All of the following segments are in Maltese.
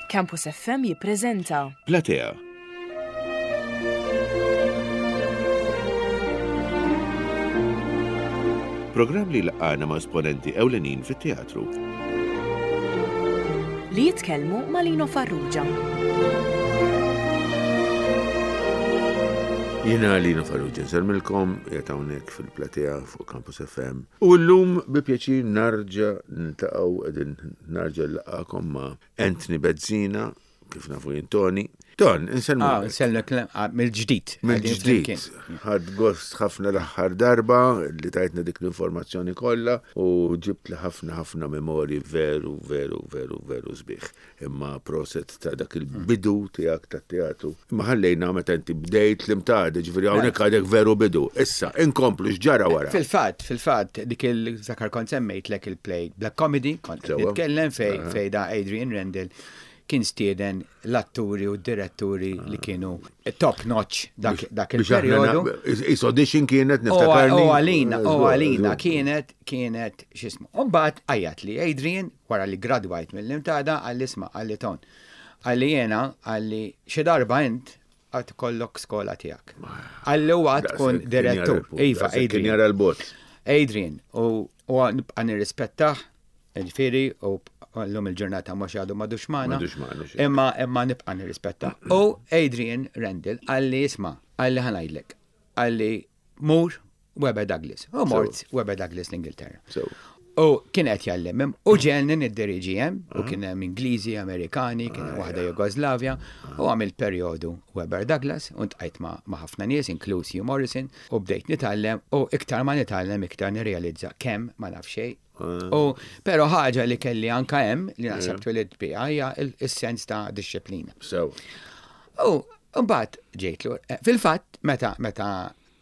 Campus FM jippreżenta. Platea. Programm li jlaqqagħna ma' esponenti ewlenin fit-teatru. Li jitkellmu ma' Lino Farrugia. Jiena Lino Farrugia nsellmilkom, qiegħed hawnhekk fil-Platea fuq Campus FM. U llum bi pjaċir narġa' niltaqgħu qegħdin narġa' nlaqgħakom ma' Anthony Bezzina, kif nafu jien Tony. Ton, insellmu. Ah, nsellmek ah, mill-ġdid. Mill-ġdid. Ħadd gost ħafna l-aħħar darba li tajtna dik l-informazzjoni kollha u ġibt li ħafna ħafna memorji veru, veru, veru, veru sbieħ. Imma proset ta' dak il-bidu tiegħek tat-teatru. Imma ħallejna meta inti bdejt l-imtad, ġifieri hawnhekk għadek veru bidu. Issa, inkomplu x'ġara wara. Fil-fatt, fil-fatt, dik il-zakar kont semmejtlek il-play Black Comedy, kont nitkellem fej fej da Adrian Rendell kien stieden l-atturi u d-diretturi li kienu top notch dak il-perjodu. Is audition kienet niftakarni. U għalina, u għalina kienet, kienet xismu. U mbagħad għajjat li Adrian wara li gradwajt mill-imtada għalli isma' għalli ton. Għalli jena, għalli xi darba int għad kollok skola tiegħek. Għalli huwa tkun direttur. Iva, Adrian. Jara l-bot. Adrian, u nibqa' nirrispettah, ġifieri, u l-lum il-ġurnata mhux għadu madux magħna. Imma imma nibqa' nirrispettah. U Adrian Randall għalli isma' għalli ħanajdlek. Għalli mur Webber Douglas. U mort Webber Douglas l-Ingilterra. U kien qed jgħallem hemm u ġelni niddiriġi hemm u kien hemm Ingliżi, Amerikani, kien hemm waħda Jugoslavja u għamilt perjodu Webber Douglas u ntqajt ma' ħafna nies inkluż Hugh Morrison u bdejt nitgħallem u iktar ma nitgħallem iktar nirrealizza kemm ma naf xejn. U però ħaġa li kelli anka hemm li naħseb twelidt biha hija s-sens ta' dixxiplina. U mbagħad ġejt lura. Fil-fatt meta meta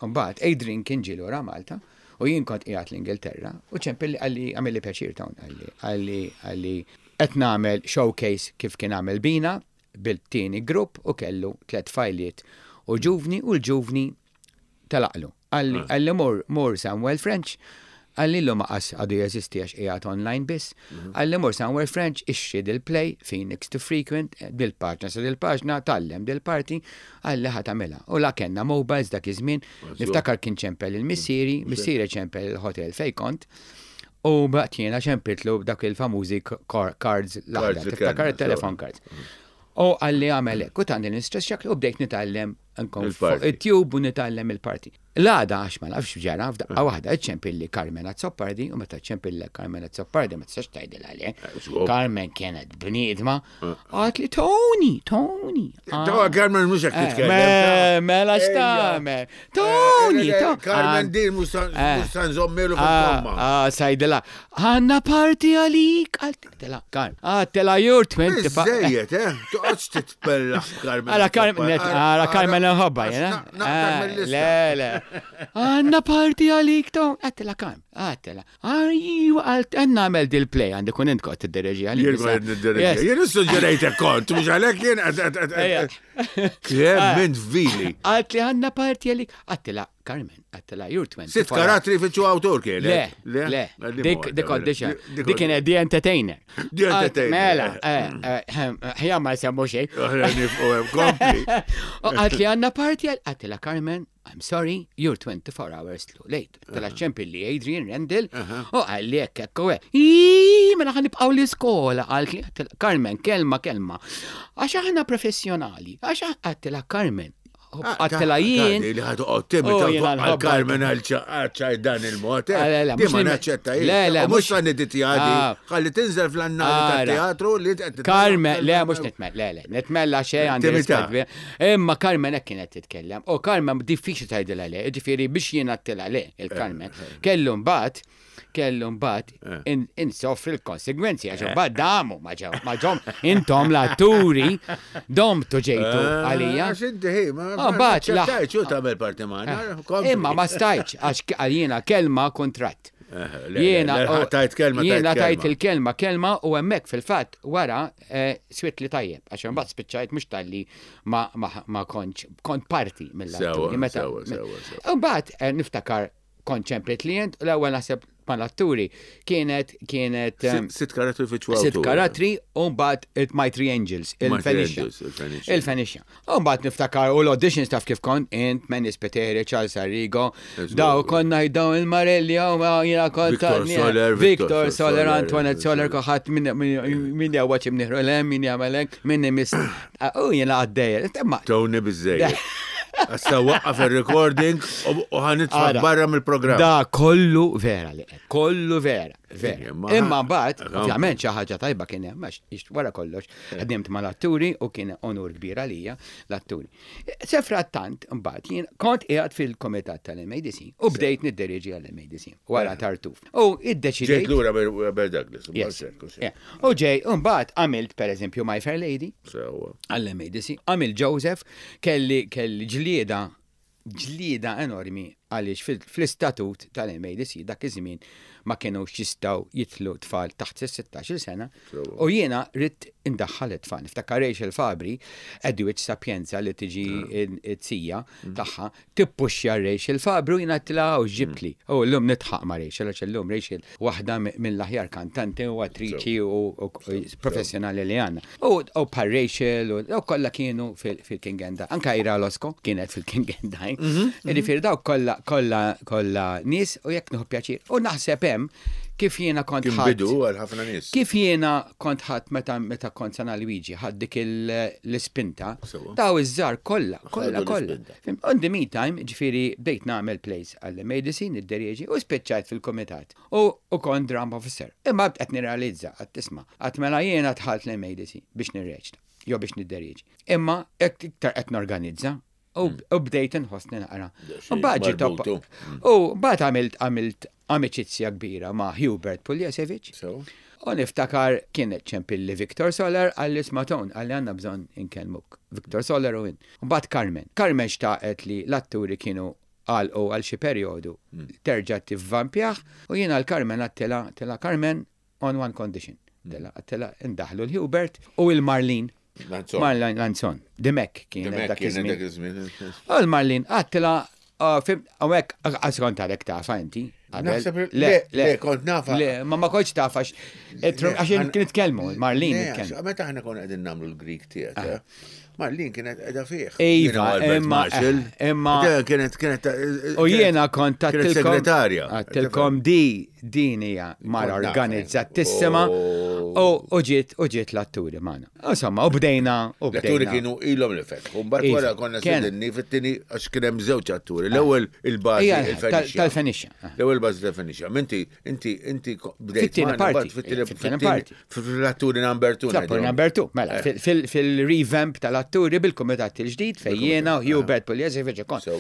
Mbagħad Adrian kien ġie lura Malta u jien kont qiegħed l-Ingilterra u ċempilli qalli għamilli pjaċir Tone qalli qalli qalli qed nagħmel showcase kif kien għamel bina bil-tieni grupp u kellu tlett tfajliet u ġuvni u l-ġuvni telaqlu. Qalli qalli mur mur Samuel French Qalli llum aqas għadu jeżisti għax qiegħed online biss. Qalli mur somewhere French ixtri dil-play, Phoenix to Frequent, dil-paġna sa dil-paġna, tgħallem dil-parti, qalli ħa tagħmilha. U la kellna mobiles dak iż-żmien, niftakar kien ċempel lil missieri, missieri ċempel il-hotel fejn kont, u baqgħet jiena ċempiltlu b'dak il-famużi cards l-aħdar, tiftakar it-telephone cards. U qalli agħmel hekk, u tani l-instruction u bdejt nitgħallem nkun fuq it-tube u nitgħallem il-parti. L-għada, għax ma nafx x'ġara, f'daqqa waħda iċċempilli Carmen Azzopardi u meta ċċempillek Carmen Azzopardi ma tistax tgħidilha le. Carmen kienet bniedma. Għat li Tony, Tony. Tawa Carmen mhux hekk titkellem. Mela x'tagħmel. Tony, Carmen din mhux sa nżommilu fil-komma. Ah, sajdilha, għandna parti għalik. Tela, Carmen. Ah, tela you're 25. Żejjed, eh? Toqgħodx titpellaħ Carmen. Ara Carmen, ara Carmen nħobba, jena. Le, le. Għanna parti għalik, Tom. Għattela Carmen, għattela. Ajwa, għalt, għanna għamel dil-play, għandi kun int kont t-direġi għalik. Jien kont niddireġi. Jien suġġerejtek kont, mux għalek jien. Kemm int vili. Għalt li għanna parti għalik. Għattela, Carmen, għattela, you're 24. Sitt karattri fiċu awtur kien. Le, le, dik dik audition. Dik kienet The Entertainer. The Entertainer. Mela, ħja ma semmu xejn. Aħna nifqu hemm kompli. Għat li għandna parti għattela Carmen, I'm sorry, you're 24 hours too late. Tela ċempilli Adrian Rendell, u għalli hekk hekk u hekk. Mela ħa nibqgħu l-iskola, għalt Carmen, kelma kelma. Għax aħna professjonali, għax għattela Carmen, Għattela jien. Li ħadu għottim, għal Carmen għal ċaċa dan il-mod. Eh. Di ma naċċetta jien. Le, le, mux sa niditjadi. Ah. Ħalli tinżel fl-annali ta' teatru li Carmen, le, mux nitmel, le, le, nitmella xej għandi. Imma Carmen hekk kienet titkellem. U Carmen diffiċli tgħidilha le, ġifieri biex jien għattila le, il-Carmen. Eh, eh. Kellu mbagħad kellu mbagħad eh. insofri l-konsegwenzi għax mbagħad damu ma ġew ma ġom intom l-atturi domtu ġejtu eh, għalija. Għax inti ħi, ma ah, mbagħad stajtx u tagħmel parti magħna. Eh, imma ma stajtx għax għalina kelma kuntratt. Jiena tajt kelma jiena tajt il-kelma kelma u hemmhekk fil-fatt wara swit li tajjeb għax imbagħad spiċċajt mhux talli ma kontx kont parti mill-atturi. Sewa, sewa, sewa. Imbagħad niftakar Kont ċempli klient u l-ewwel naħseb. mal-atturi kienet kienet Sitt karattri fi ċwawtu. Sitt karattri u mbagħad My Three Angels, il-Fenicia. Il-Fenicia. U mbagħad niftakar u l-auditions taf kif kont int, Manny Spiteri, Charles Arrigo, daw konna jdaw il-Marelli, u jiena kont. Victor Soler, Victor Soler, Antoinette Soler, kulħadd min jgħawwaġ imnieħru l-hemm, min jagħmel hekk, min imiss. U jiena għaddejja. Tony biżejjed. Issa waqqaf il-recording u ħanitfa barra mill-programm. Da kollu vera li qed, kollu vera, vera. Imma mbagħad, ovvjament xi ħaġa tajba kien hemm għax wara kollox ħdimt mal-atturi u kien onur kbir għalija l-atturi. Se frattant mbagħad jien kont qiegħed fil-komitat tal-MADC u bdejt nidderieġi għall-MADC wara Tartuf. U iddeċidejt. Ġejt lura Bert Douglas. U ġej, u mbagħad għamilt pereżempju My Fair Lady. Għall-MADC. Għamilt Joseph, kelli kelli ġlieda ġlieda enormi għaliex fl-istatut tal-MADC dak iż-żmien ma kinux jistgħu jidħlu tfal taħt is-16-il sena u jiena ridt indaħħal it-tfal. Niftakar Rachel Fabri, Edwidge Sapienza li tiġi t-tija tagħha, tippuxxja Rachel Fabri u jiena għedtilha hawn x'ġibtli. U llum nidħaq ma' Rachel għax illum Rachel waħda mill-aħjar kantanti u attriċi u professjonali li għandna. U bħal Rachel u dawk kollha kienu fil-King and I. Anke Ira Losco kienet fil-King and I. Jiġifieri dawk kollha kollha kollha nies u jekk nieħu pjaċir. U naħseb hemm kif jiena kont Kien bidu għal ħafna nies. Kif jiena kont ħadd meta meta kont San Alwiġi ħadd dik l-ispinta, daw iż-żgħar kollha, kollha, kollha. On the meantime, ġifieri bdejt nagħmel plays għall-MADC, nidderieġi u spiċċajt fil-kumitat u u kont drum officer. Imma qed nirrealizza, qatt tisma', qatt mela jiena dħalt l-MADC biex nirreċta jew biex nidderieġi. Imma iktar qed norganizza U mm. bdejt inħossni naqra. U mbagħad ġiet mm. U mbagħad għamilt għamilt amiċizzja kbira ma' Hubert Puljesevic. U niftakar kien ċempilli Victor Soler għalli smaton għalli għanna bżon inkellmuk. Victor Soler u in. Mbagħad Carmen. Carmen xtaqet li l-atturi kienu għalqu għal xi perjodu mm. terġa' tivvampjah u jiena l-Carmen għattila tela Carmen on one condition. Tela tela indaħlu l-Hubert u il-Marlin Lanzon. Marlin Lanzon. Dimek kien dak iż-żmien. U l-Marlin għattila għawek għas kont għalek tafa inti. Le, le, kont nafa. Le, ma ma kontx tafa għax nitkellmu, Marlin nitkellmu. Meta ħna konna qegħdin nagħmlu l-Greek theater, ah. Marlin kienet qiegħda fih. Iva, imma imma kienet kienet eh, U jiena kont tattilkom segretarja. Għattilkom di din hija mara organizzatissima u ġiet u ġiet l-atturi magħna. Insomma, u bdejna u bdejna. L-atturi kienu ilhom li fetħu. Mbagħad wara konna sedinni fit-tieni għax kien hemm żewġ atturi. L-ewwel il-bażi tal-Fenixja. L-ewwel bażi tal-Fenixja. Inti inti inti bdejt fit-tieni parti. Fit-tieni parti. Fil-atturi number 2. Fl-atturi number 2. Mela, eh. fil-revamp tal-atturi bil-kumitat il-ġdid fejn jiena u Hubert Pugliese feġa kont.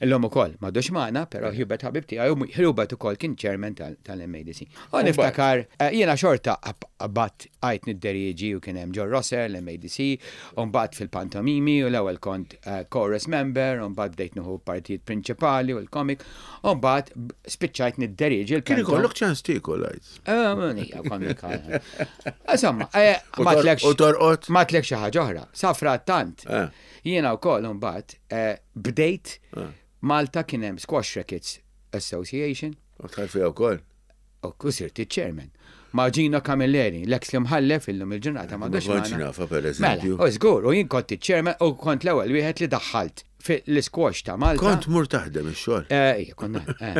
Illum ukoll m'għadux magħna, però eh. Hubert ħabib tiegħi u Hubert ukoll kien chairman tal-MADC. U niftakar eh, jiena xorta bat Bqajt nidderieġi u kien hemm John Rosser, l-MADC, u mbagħad fil-pantomimi u l-ewwel kont chorus member u mbagħad bdejt nieħu partijiet prinċipali u l-comic u mbagħad spiċċajt nidderieġi l Kien ikollok ċans tiekol għid. Ija, kont Insomma, ma tlekx. U torqod? Ma tlekx xi ħaġa oħra. Sa frattant, jiena wkoll imbagħad bdejt Malta kien hemm Squash Rackets Association. U dħalt fiha wkoll? U sirt iċ-chairman. Ma' Gino Camilleri, l-eks l-imħallef illum il-ġurnata ma' Ma kontx nafha per eżempju. Mela, u żgur, u jien kont iċ-chairman u kont l-ewwel wieħed li daħħalt fl-isquash ta' Malta. Kont mur taħdem ix-xogħol. Eh, ija, kont eh.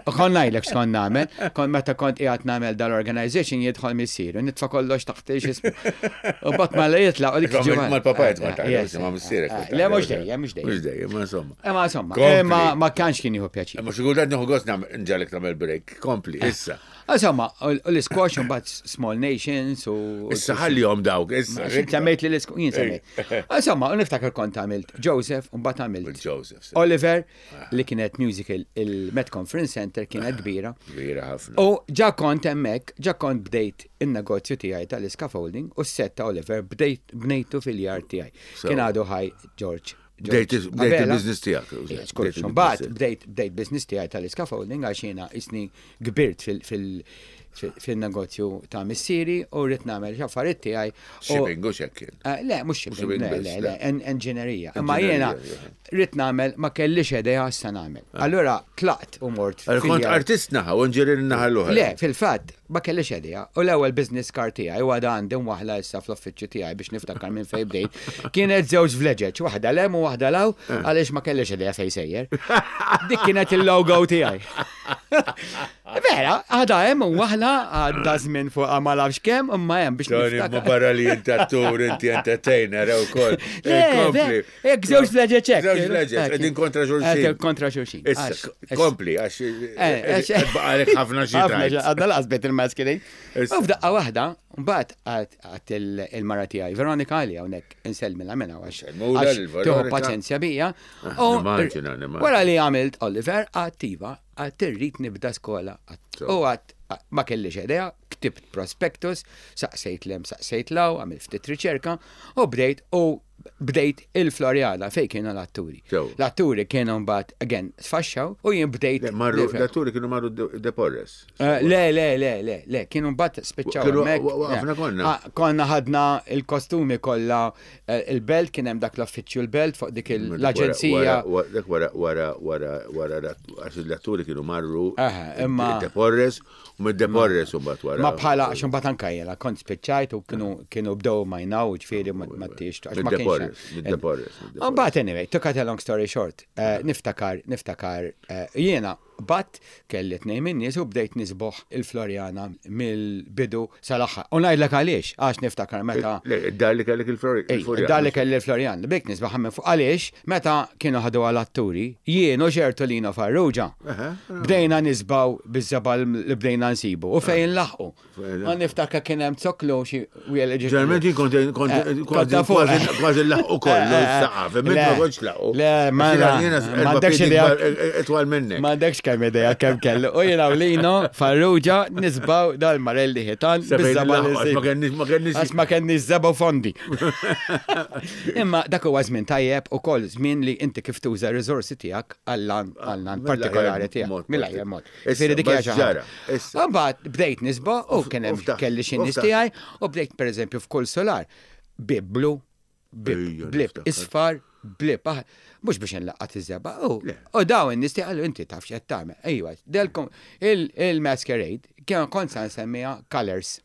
U kont ngħidlek x'kont nagħmel, kont meta kont qiegħed nagħmel dal-organization jidħol missier u nitfa' kollox taħt x'ismu. U bat ma li jitlaq u dik ġimgħa. Mal-papa qed ma taħdem, ma' missierek. Le mhux dejjem, mhux dejjem. Mhux dejjem, ma insomma. Imma insomma, imma ma kienx kien jieħu pjaċir. Imma xi kultant nieħu gost nġagħlek tagħmel break. Kompli, eh. issa. Insomma, u l-squash un bat Small Nations u. Issa ħallihom dawk, issa. Semmejt li l-squash, jien semmejt. Insomma, u niftakar kont għamilt Joseph, un bat għamilt. Joseph. Oliver, ah. li kienet musical il-Met Conference Center kienet ah, kbira. Kbira ħafna. U ġa kont hemmhekk, ġa kont bdejt in-negozju tiegħi tal-scaffolding u s-set ta' Oliver bdejt bnejtu fil-yard tiegħi. Kien għadu ħaj George Bdejt il-biznis tijak. Mbagħad bdejt bdejt biznis tiegħi tal-scaffolding għax jiena isni kbirt fin-negozju ta' missieri u rrid nagħmel xi affarijiet tiegħi. Shipping u xekk kien. Eh, le, mhux shipping, le, le, le, enġinerija. Imma jiena rrid nagħmel ma kellix idea sa nagħmel. Ah. Allura tlaqt u mort. Kont artist naħa u enġinier naħa l-oħra. Le, fil-fatt ma kellix idea. U l-ewwel business card tiegħi u għadha għandi waħla issa fl-uffiċċju tiegħi biex niftakar minn fejn bdejt. Kienet żewġ vleġeġ, waħda lem u waħda law, eh. għaliex ma kellix idea fejn sejjer. Dik kienet il-logo tiegħi. Vera, għada hemm u waħla għadda żmien fuq ma nafx kemm imma hemm biex Tony, ma barra li inti attur, inti entertainer ukoll. Kompli. Jekk żewġ vleġeġ hekk. Żewġ vleġeġ, qegħdin kontra xulxin. Kontra xulxin. Kompli, għax eh, baqalek ħafna xi Għadna laqas bejt il-maskeri. U f'daqqa waħda, mbagħad għat il-mara tiegħi, Veronika għali hawnhekk insellmilha minna għax. Tieħu paċenzja bija. Ah, wara li għamilt Oliver, għattiva, Għad irrid nibda skola. U għad ma kellix idea, ktibt prospectus, saqsejt lem, saqsejt law, għamilt ftit riċerka u bdejt u bdejt il-Floriana fej kienu l-atturi. L-atturi kienu mbagħad again sfaxxaw u jien bdejt. Marru l-atturi kienu marru De Porres. Eh, le, le, le, le, le, kienu mbagħad spiċċaw hemmhekk. Konna. Ah, konna ħadna il-kostumi kollha Eh, il-belt kien hemm dak l-affiċċju l-belt fuq dik l-aġenzija. Dak wara wara wara wara għax l-atturi kienu marru imma De Porres u mid De Porres u mbagħad wara. Ma bħala għax imbagħad anke jiena kont spiċċajt u kienu kienu bdew majnaw ġifieri ma tiex għax ma kienx. Mid De Porres. Mbagħad anyway, to cut a long story short, eh, niftakar niftakar eh, jiena Bat kelli tnejn min-nies u bdejt nisboħ il-Floriana mill-bidu sal-aħħar. U ngħidlek għaliex, għax niftakar meta. Le, id-dar li kellek il-Floriana. Id-dar li kelli l-Floriana. Bdejt nisbaħ minn fuq għaliex meta kienu ħadu għal atturi, jien u ċertu Lino Farrugia. Bdejna nisbaw biż-żebgħa li bdejna nsibu u fejn nlaħħqu. Ma niftakar kien hemm zoklu xi wiel ġi. Ġeneralment jien kont kont eh, kważi kważi laħqu kollu eh, eh, saqaf, imma ma kontx laħqu. Le, ma m'għandekx idea. Itwal minnek. M'għandekx kemm idea kemm kellu. U jiena u Lino Farrugia nisbaw dal-Marelli ħitan. Ma kenniex ma kenniex. Għax ma kenniex żebgħu fondi. Imma dak huwa żmien tajjeb ukoll żmien li inti kif tuża r-riżorsi tiegħek għall-għan partikolari tiegħek. Mill-aħjar mod. Ġifieri dik hija xi ħaġa. Imbagħad bdejt nisba' u kien hemm kelli xi nies tiegħi u bdejt pereżempju f'kull solar bib blu, bib blib isfar, blib aħ, mhux biex inlaqqat iż-żebgħa. U dawn in-nies tiegħi qalu inti taf x'qed tagħmel. Ejwa, delkom il-masquerade kien kont sa nsemmiha colours.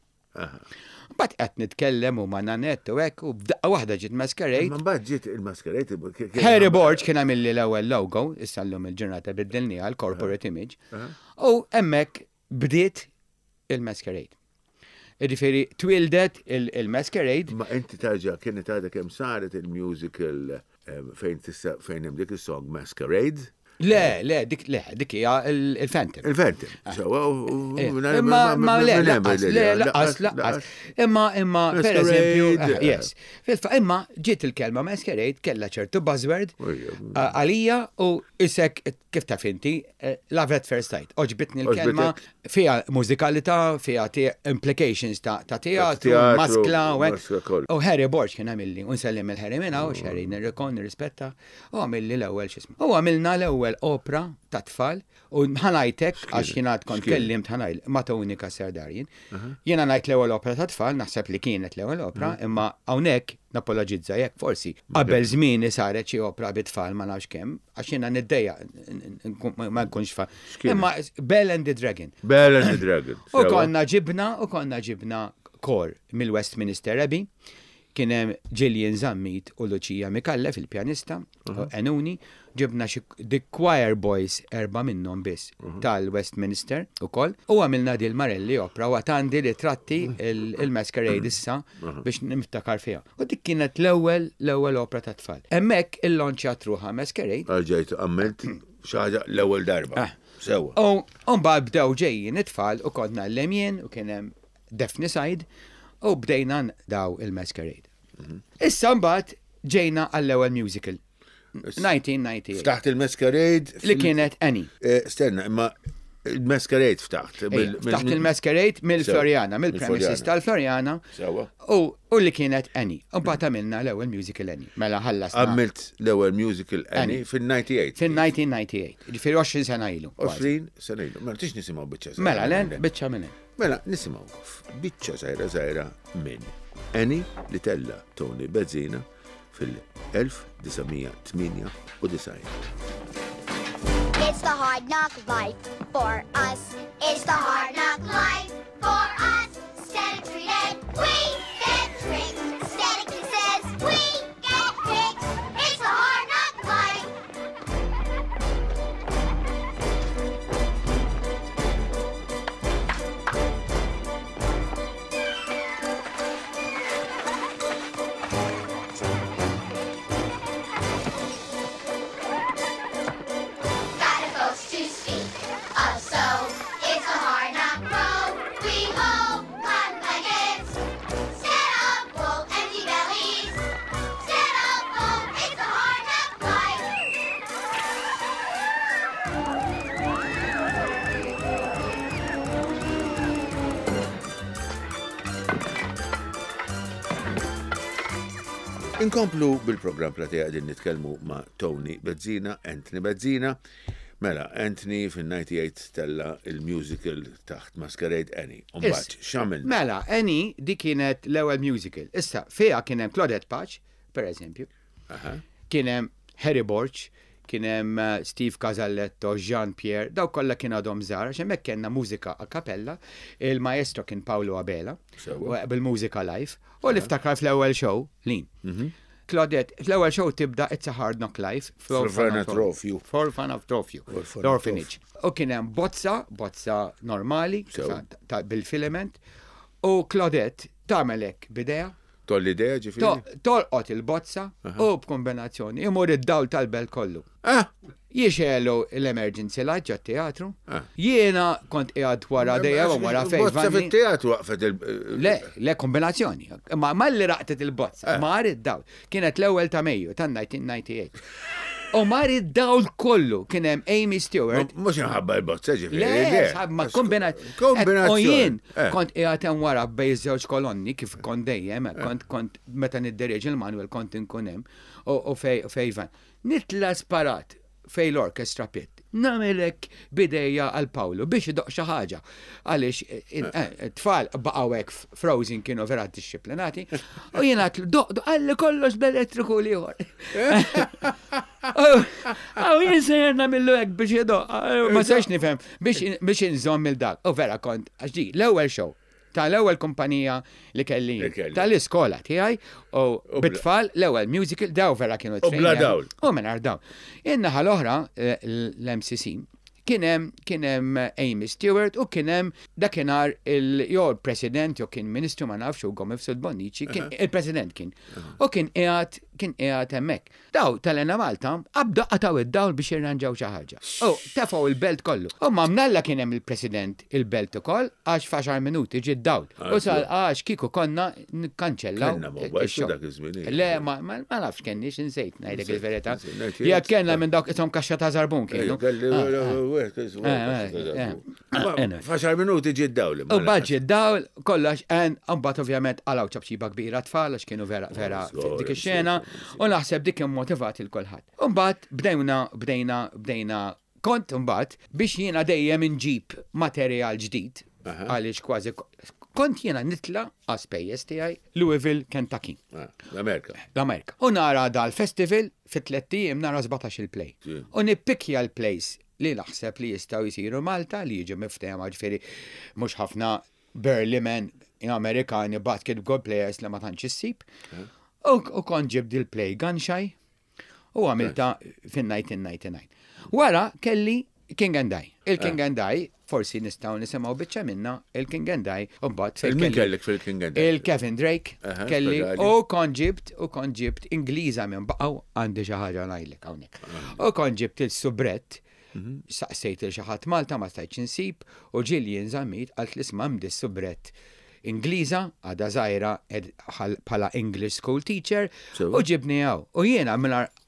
Mbagħad qed nitkellem u ma' Nanette u hekk u f'daqqa waħda ġiet Masquerade. Imma mbagħad ġiet il-Masquerade. Harry Borg kien għamilli l-ewwel logo, issa llum il-ġurnata biddilniha l-corporate image. U hemmhekk bdiet il-Masquerade. Jiġifieri twieldet il-Masquerade. Ma inti tarġa' kienet għadha kemm saret il-musical Fejn tista' fejn hemm dik is-song Masquerade. Le, le, dik le, dik hija il-Phantom. Il-Phantom. Ah. Sewa, eh, imma ma le, laqas, le, laqas, laqas. Imma imma per eżempju, eh, yes. Fil-fa imma ġiet il-kelma Masquerade kellha ċertu buzzword għalija u isek kif taf inti, eh, love at first sight. Oġbitni l-kelma fiha mużikalità, fiha implications ta' teatru, maskla u hekk. U Harry Borg kien għamilli, u nsellim il-Harry minn hawn, Harry nirrikon, nirrispetta, u għamilli l-ewwel x'ismu. U għamilna l-ewwel opra ta' tfal u ħanajtek għax jien għad kont kellimt ħanajl ma' Tony Cassar Darien. Jiena ngħid l-ewwel opra ta' tfal, naħseb li kienet l-ewwel opra, imma hawnhekk napologizza jekk forsi qabel żmieni saret xi opra bit-tfal ma nafx kemm, għax jiena niddejjaq ma nkunx fa. Imma Bell and the Dragon. Bell and the Dragon. U konna ġibna, u konna ġibna kor mill-Westminster Abbey, kien hemm Gillian Zammit u Lucia Micallef il-pjanista, Enuni, ġibna xi The Choir Boys erba' minnhom biss tal-Westminster ukoll, u għamilna dil Marelli opra u għad għandi ritratti il-Masquerade issa biex niftakar fiha. U dik kienet l-ewwel l-ewwel opra tat-tfal. Hemmhekk illonċjat ruħha Masquerade. Erġajt għamilt xi ħaġa l-ewwel darba. Sewwa. U mbagħad bdew ġejjin it-tfal u kont ngħallem jien u kien hemm Daphne Said u bdejna daw il-Masquerade. Issa mbagħad ġejna għall-ewwel musical. 1998. Ftaħt il-Masquerade. Li kienet Annie. Eh, stenna, imma Il-Masquerade ftaħt. Ftaħt il-Masquerade mill-Floriana, mill-premises tal-Floriana. U li kienet Annie. U mbagħad għamilna l-ewwel musical Annie. Mela ħallasna. Għamilt l-ewwel musical Annie fil-98. Fil-1998. Ġifieri 20 sena ilu. 20 sena ilu. Mela tix nisimgħu biċċa. Mela len biċċa minn. Mela nisimgħu biċċa żgħira żgħira minn Annie li tella Tony Bezzina fil-1998. It's the hard knock life for us. It's the hard knock life for us. Instead of treated, we get tricked. Instead of kisses, we get kicked. It's the hard knock life. Got no folks to speak of, so it's a hard knock road. We hold cotton blankets, instead of wool, empty bellies. Instead of hope, it's a hard knock life. Inkomplu bil-programm Platea qegħdin nitkellmu ma' Tony Bezzina, Anthony Bezzina. Mela, Anthony fin-98 tella il-musical taħt Masquerade Annie. Umbagħad x'għamilna? Mela, Annie di kienet l-ewwel musical. Issa, fiha kien hemm Claudette Pace, per eżempju. Kien hemm Harry Borg, kien hemm Steve Casalletto, Jean Pierre, daw kollha kien għadhom żgħar, għax hemmhekk kellna mużika a cappella, il-maestro kien Paolo Abela, bil-mużika live, u li ftakar fl-ewwel show, Lin. Claudette, fl-ewwel show tibda It's a Hard Knock Life. Fl-orfanatrofju. Fl-orfanatrofju. L-orphanage. U kien hemm bozza, bozza normali, bil-filament, u Claudette tagħmel hekk b'idejha, Toll l-idea ġifieri? Tolqot il-bozza u b'kombinazzjoni imur id-dawl tal-belt kollu. Ah! Jixelu l-emergency light ġat teatru. Ah. Jiena kont qiegħed wara dejjem u wara fejn. Bozza fit-teatru waqfet il- Le, le kombinazzjoni. Ma malli raqtet il-bozza, ah. mar id-dawl. Kienet l-ewwel ta' Mejju tan-1998. U mar id-dawl kollu kien hemm Amy Stewart. Mhux inħabba l-bozza ġifieri. Le, ma kombinazzjoni. U jien eh. kont qiegħed hemm wara bej żewġ kolonni kif kont dejjem, eh. kont kont meta nidderieġi l-Manuel kont inkun hemm u fejvan. Nitla sparat fej l-orkestra pit. Nagħmelek bidejja għal Pawlu biex idoq xi ħaġa. Għaliex eh, eh, tfal baqgħu hekk frozen kienu vera disciplinati. U jien għatlu doq doq għalli kollox bl-elettriku l-ieħor. Għaw jien sejjer nagħmillu hekk biex idoq. Ma sax nifhem biex inżomm il-dak. U vera kont għax di l-ewwel show tal-ewwel kumpanija li kelli tal-iskola tiegħi u bit-tfal l-ewwel musical daw vera kienu U bla dawl. U mingħajr dawl. In-naħa l-oħra eh, l-MCC kien hemm kien hemm Amy Stewart u kien hemm dakinhar il jew il-President jew kien Ministru ma nafx u Gomez Bonnici kien il-President kien. U kien qiegħed kien qiegħed hemmhekk. Daw tal-Ena Malta qabdu qatgħu id-dawl biex jirranġaw xi ħaġa. U tefgħu il-belt kollu. U ma mnalla kien hemm il-President il-belt ukoll għax f'għaxar minuti ġie d-dawl. U sal għax kieku konna nikkanċellaw. Kellna mobile dak iż-żmien. Le, ma nafx kenniex insejt ngħidlek il-verità. Jekk kellna minn dawk ishom kaxxa ta' żarbun kienu. F'għaxar minuti ġie d-dawl. U mbagħad ġie d-dawl, kollox, en, mbagħad ovvjament qalgħu ċapċiba kbira tfal għax kienu vera vera dik ix-xena u naħseb dik immotivat il kulħadd. U mbagħad bdejna bdejna bdejna kont mbagħad biex jiena dejjem inġib materjal ġdid għaliex kważi kont jiena nitla għas-spejjeż tiegħi Louisville, Kentucky. Ah, L-Amerika. L-Amerika. U nara dal-festival fi tlett ijiem nara 17 il-play. U nippikja l-plays li naħseb li jistgħu jsiru Malta li jiġu miftehma ġifieri mhux ħafna burly men Amerikani basketball players li ma tantx issib. U kont ġibt il-play Gunshy u għamilta fin-1999. Wara kelli King and I. Il-King and I, forsi nistgħu nisimgħu biċċa minna il-King and I, u mbagħad fejn Min kellek fil-King and I? Il-Kevin Drake kelli u kont ġibt u kont ġibt Ingliża minn baqgħu għandi xi ħaġa ngħidlek hawnhekk. U kont ġibt il-subrett saqsejt il xi ħadd Malta ma stajtx insib u Gillian Zammit qalt li isma' hemm dis-subrett Ingliża għadha żgħira bħala English school teacher u ġibni hawn. U jiena mingħajr.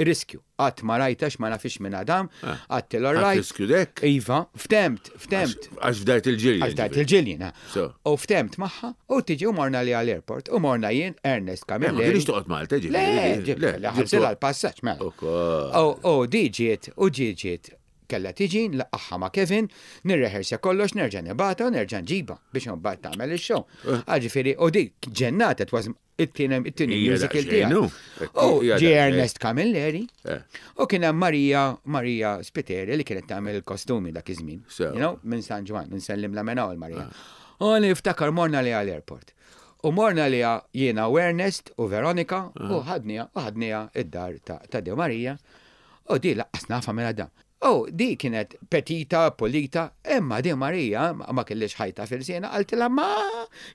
Riskju. Qatt ma rajtha għax ma nafhiex minn Adam, għedtilha all Ħadt right. riskju dek? Iva, ftemt, ftemt. Għax fdajt il-Ġillian. Għax fdajt il-Ġillian, ha. So. U ftemt magħha u tiġi u morna li għall-airport u morna jien Ernest Camilleri. Ma kienx toqgħod Malta, ġifieri. Le, ġifieri, le, ħallsilha l-passaġġ, mela. Ukoll. U di ġiet, u ġiet ġiet kellha tiġi, nlaqqagħha ma' Kevin, nirrehersja kollox, nerġa' nibgħatha u nerġa' nġibha biex imbagħad tagħmel ix-show. Ġifieri, u di ġennata, it was it-tieni it-tieni Hija musical daqsxejn, tiegħi. hu. U Hija ġie daqsxejn. Ernest Camilleri Eh. u kien hemm Maria Maria Spiteri li kienet tagħmel il-kostumi dak iż-żmien. Sew. You know, minn San Ġwann, nsellim la minn hawn Maria. U niftakar morna li għall-airport. U morna li jiena u Ernest u Veronika u ħadnija u ħadnija id-dar ta' ta' De Maria u di laqqas nafha minn Adam. U di kienet petita, pulita, imma di Maria ma ma kellix ħajta fil-sena, qaltilha ma,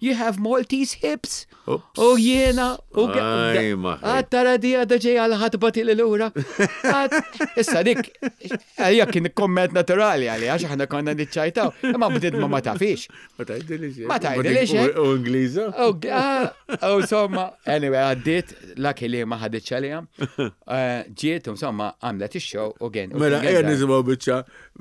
you have Maltese hips. Oops. U jiena, u Aj, ma ħej. Għad tara di għadha ġejja għal ħatba li lura. Għad- Issa dik, għalija kien komment naturali għalija, għax aħna konna niċċajtaw, imma bdiet ma ma tafix. Ma tgħidilix. Ma tgħidilix, eh? U Ingliża? U u insomma, anyway, għaddiet, lucky li ma ħaditx għalija. Eh, Ġiet, insomma, għamlet ix-show u gen. u Mela, kien ejja gen- nisimgħu biċċa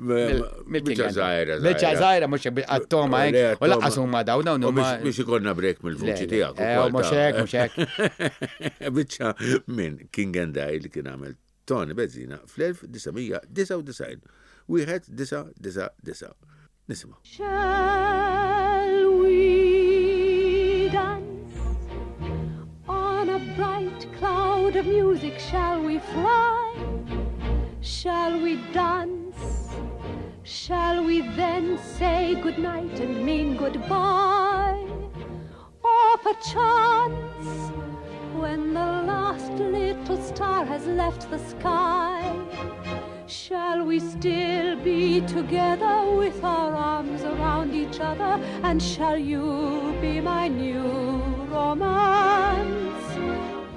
mill-King biċċa and- żgħira. Biċċa żgħira, mhux għat-toma Le, hekk. U laqqas huma dawn dawn U huma. biex biex ikollna break mill-vuċi Le, le. tiegħek. Eh, ukoll mhux ta' hekk, mhux hekk. Biċċa minn King and I li kien għamel Tony Bezzina fl-1999. Wieħed disa' disa' disa'. Nisimgħu. Shall we dance on a bright cloud of music? Shall we fly? Shall we dance? Shall we then say goodnight and mean goodbye? Or perchance, when the last little star has left the sky, shall we still be together with our arms around each other? And shall you be my new romance?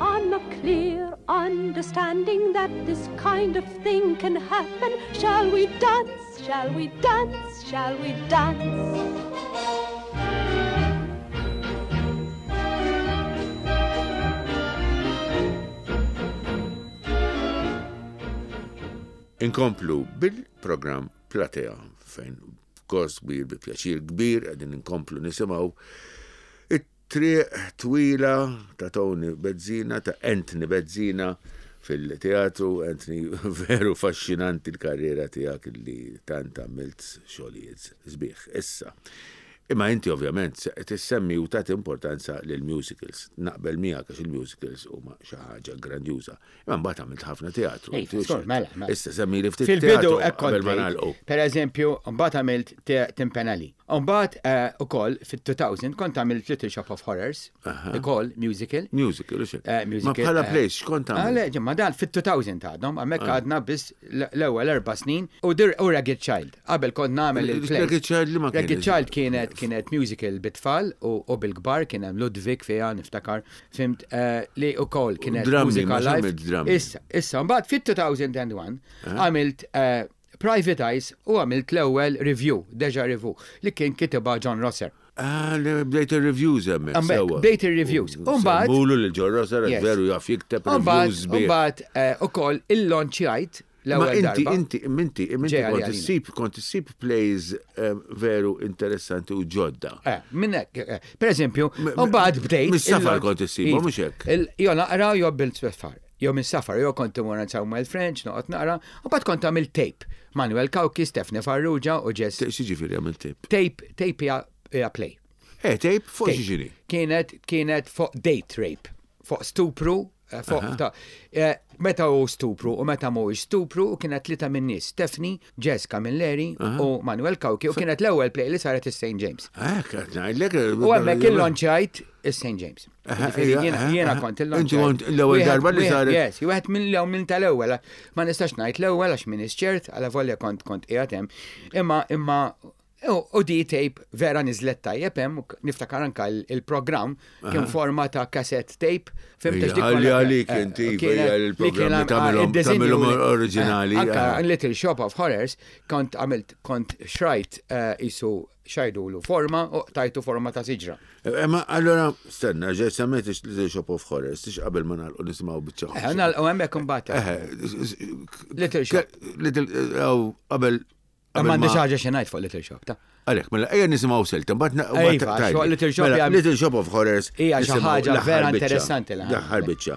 On a clear understanding that this kind of thing can happen, shall we dance? Shall we dance? Shall we dance? Inkomplu bil-programm Platea fejn b'gost kbir, bi pjaċir kbir, qegħdin inkomplu nisimgħu it-triq twila ta' Tony Bezzina, ta' Anthony Bezzina fil-teatru. Anthony, veru faxxinanti l-karriera tiegħek li tant għamilt xogħlijiet sbieħ. Issa, imma inti ovvjament se tissemmi u tagħti importanza lil musicals. Naqbel miegħek għax il-musicals huma xi ħaġa grandjuża. Imma mbagħad għamilt ħafna teatru. Ej, skur, mela, mela. Issa semmi li ftit Fil-bidu teatru hekk kont qabel ma ngħid. nagħlqu. Per eżempju, mbagħad għamilt Timpenali. Mbagħad eh, ukoll fit-2000 kont għamilt Little Shop of Horrors, ukoll musical. Musical, u xek. Eh, Ma musical, bħala eh, plays, x'kont Ah, għamilt? le, ġimma dan fit-2000 għadhom, għamek għadna biss l-ewwel erba' snin u dir u Ragged Child. Qabel kont nagħmel il-play. Ragged Child li ma kienet? Ragged Child kienet kienet musical bit-tfal u, u bil-kbar kien hemm Ludwig fiha niftakar, fimt eh, li ukoll kienet Drammi, mużika ma live. x'għamilt drammi? Issa, issa mbagħad fit-2001 għamilt eh, Private Eyes u għamilt l-ewwel review, Deja Review, li kien kitibha John Rosser. Ah, li bdejt il-reviews hemmhekk. Hemmhekk, sewwa. bdejt il-reviews. U mbagħad- Semmulu lil John Rosser Yes. veru jaf jikteb Mbagħad reviews sbieħ. mbagħad eh, ukoll il-launchjajt Ma l-ewwel inti, darba. inti, inti, inti Ġej kont għalina. issib, kont issib plays eh, veru interessanti u ġodda. Eh, minnek, eh, per eżempju, mbagħad bdejt. mis-safar il- kont issibhom, Iva. mhux hekk? Il- Jo naqra jo bil-safar. Jo minn safar, jo kont imur għand Samuel French, noqgħod naqra, u mbagħad kont għamil tape. Manuel Cauchi, Stefani Farrugia u Jess. X'jiġifieri għamil tape? Tape, tape hija hija play. Eh, tape fuq Tape. xi Kienet, kienet fuq date rape, fuq stupru, eh, fuq ta' eh, meta hu stupru u meta mhuwiex stupru u kienet tlieta minn nies, Stephanie, Jess Camilleri u Manuel Cauchi u kienet l-ewwel play li saret is-St. James. Eh, qed ngħidlek. U hemmhekk il-launchajt is-St. James. Aha, Ġifieri ija, jiena- aha, Jiena aha. kont Inti il-launchajt. kont l-ewwel Wieħed- darba li wieħed- saret- Yes, wieħed minn l minn tal-ewwel. Ma nistax ngħid l-ewwel għax minn ċert, għala volja kont kont qiegħed hemm. Imma imma U di tape vera niżlet tajjeb hemm, niftakar anka il-programm kien forma ta' cassette tape. Fimta dik Għalli għalik eh, inti, il-programm tagħmilhom oriġinali. Anka Little Shop of Horrors kont għamilt kont xrajt eh, isu xajdulu forma u tajtu forma ta' siġra. Eh, ma allora, stenna, ġej semmejt Little Shop of Horrors, tix qabel ma nagħlqu nisimgħu biċċa. Eh, nagħlqu hemmhekk imbagħad. Little Shop. Little qabel Ma għandi ħaġa xi ngħid fuq Little Shop ta'. Għalek, mela ejja nisimgħu silta, mbagħad fuq Little Shop mela, Little Shop of Horrors. Hija xi ħaġa vera interessanti l-aħħar biċċa.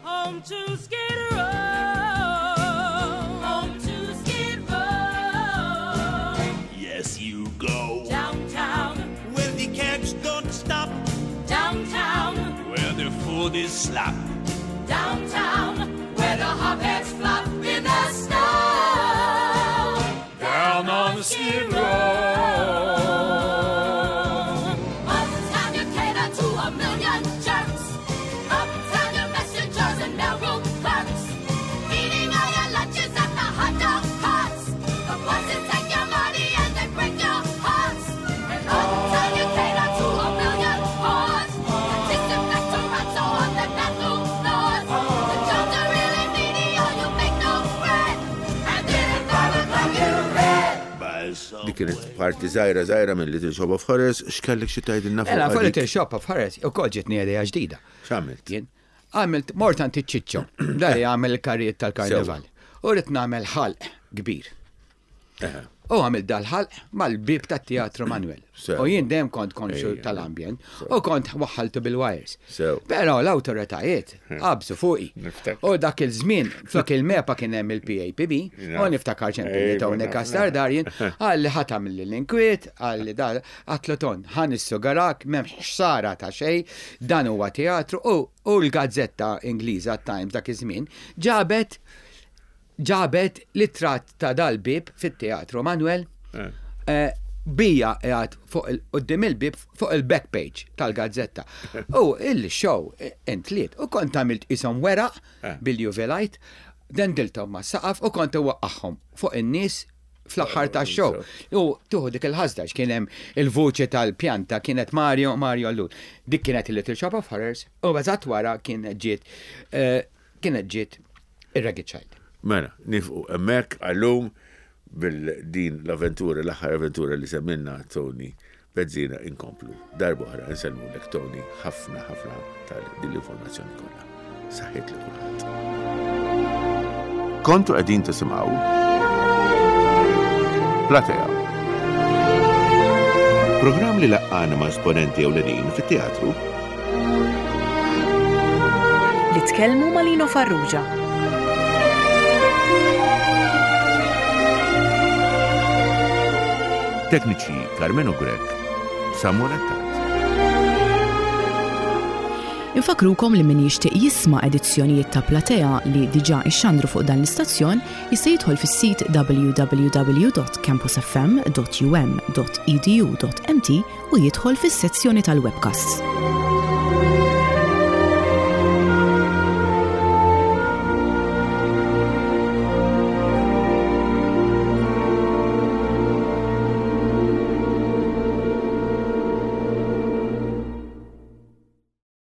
Home to Skid Row. Home to Skid Row. Yes, you go. Downtown. Where the cabs don't stop. Downtown. Where the food is slap. Downtown. Where the hopheads flop in the snow. Down on Skid Row. Uptown you cater to a million jerks. Uptown your messengers and mailroom clerks. Eating all your lunches at the hot dog carts. The buses take your money and they break your hearts. And uptown you cater to a million whores. And disinfect terrazzo on the bathroom floors. The jobs are really menial, you make no bread. And then at 5 o'clock you're red. Dik kienet parti żgħira żgħira minn Little Shop of Horrors, x'kellek xi tgħidilna fuq? Mela, fuq Little Shop of Horrors ukoll ġietni idea ġdida. X'għamilt? Jien għamilt mort għand iċ-Ċiċċo, da li għamel il-karrijiet tal-karnival. U rrid nagħmel ħalq kbir. U għamilt dal-ħalq mal-bib tat-Teatru Manuel. U jien dejjem kont konxu tal-ambjent u kont waħħaltu bil-wires. Però l-awtoritajiet qabżu fuqi. U dak il-żmien flok il-MEPA kien hemm il-PAPB u niftakar ċempilli Tony Castar Darjen għalli ħa tagħmel l-inkwiet, għalli da għatlu ton ħa nissugarak m'hemmx ħsara ta' xejn, dan huwa teatru u l-gazzetta Ingliża Times dak iż-żmien ġabet ġabet l-itratt ta' dal-bieb fit-Teatru Manuel eh. bija qiegħed fuq quddiem il-bieb fuq il-back page tal-gazzetta. U il-show eh, intliet u kont għamilt ishom weraq eh. bil-UV light, dendilthom ma' saqaf u kont waqqaħħom fuq in-nies fl-aħħar ta' show. U tuħu dik il-ħasda kien hemm il-vuċi tal-pjanta kienet Mario Mario Allul. Dik kienet il-Little Shop of Horrors u eżatt wara kienet ġiet kienet ġiet ir-Ragged Child. Mela, nifqu hemmhekk għallum bil-din l-avventura, l-aħħar avventura li semmilna Tony Bezzina inkomplu. Darb'oħra insellmulek Tony ħafna ħafna tal din l-informazzjoni kollha. Saħħiet li kulħadd. Kontu qegħdin tisimgħu Platea. Programm li laqqana ma' esponenti ewlenin fit-teatru Li tkellmu ma' Lino Farrugia. Tekniċi Carmenu Grech, Samuel Attard. Infakrukom li min jixtieq jisma' edizzjonijiet ta' Platea li diġà ixxandru fuq dan l-istazzjon jista' jidħol fis-sit www.campusfm.um.edu.mt u jidħol fis-sezzjoni tal-webcasts.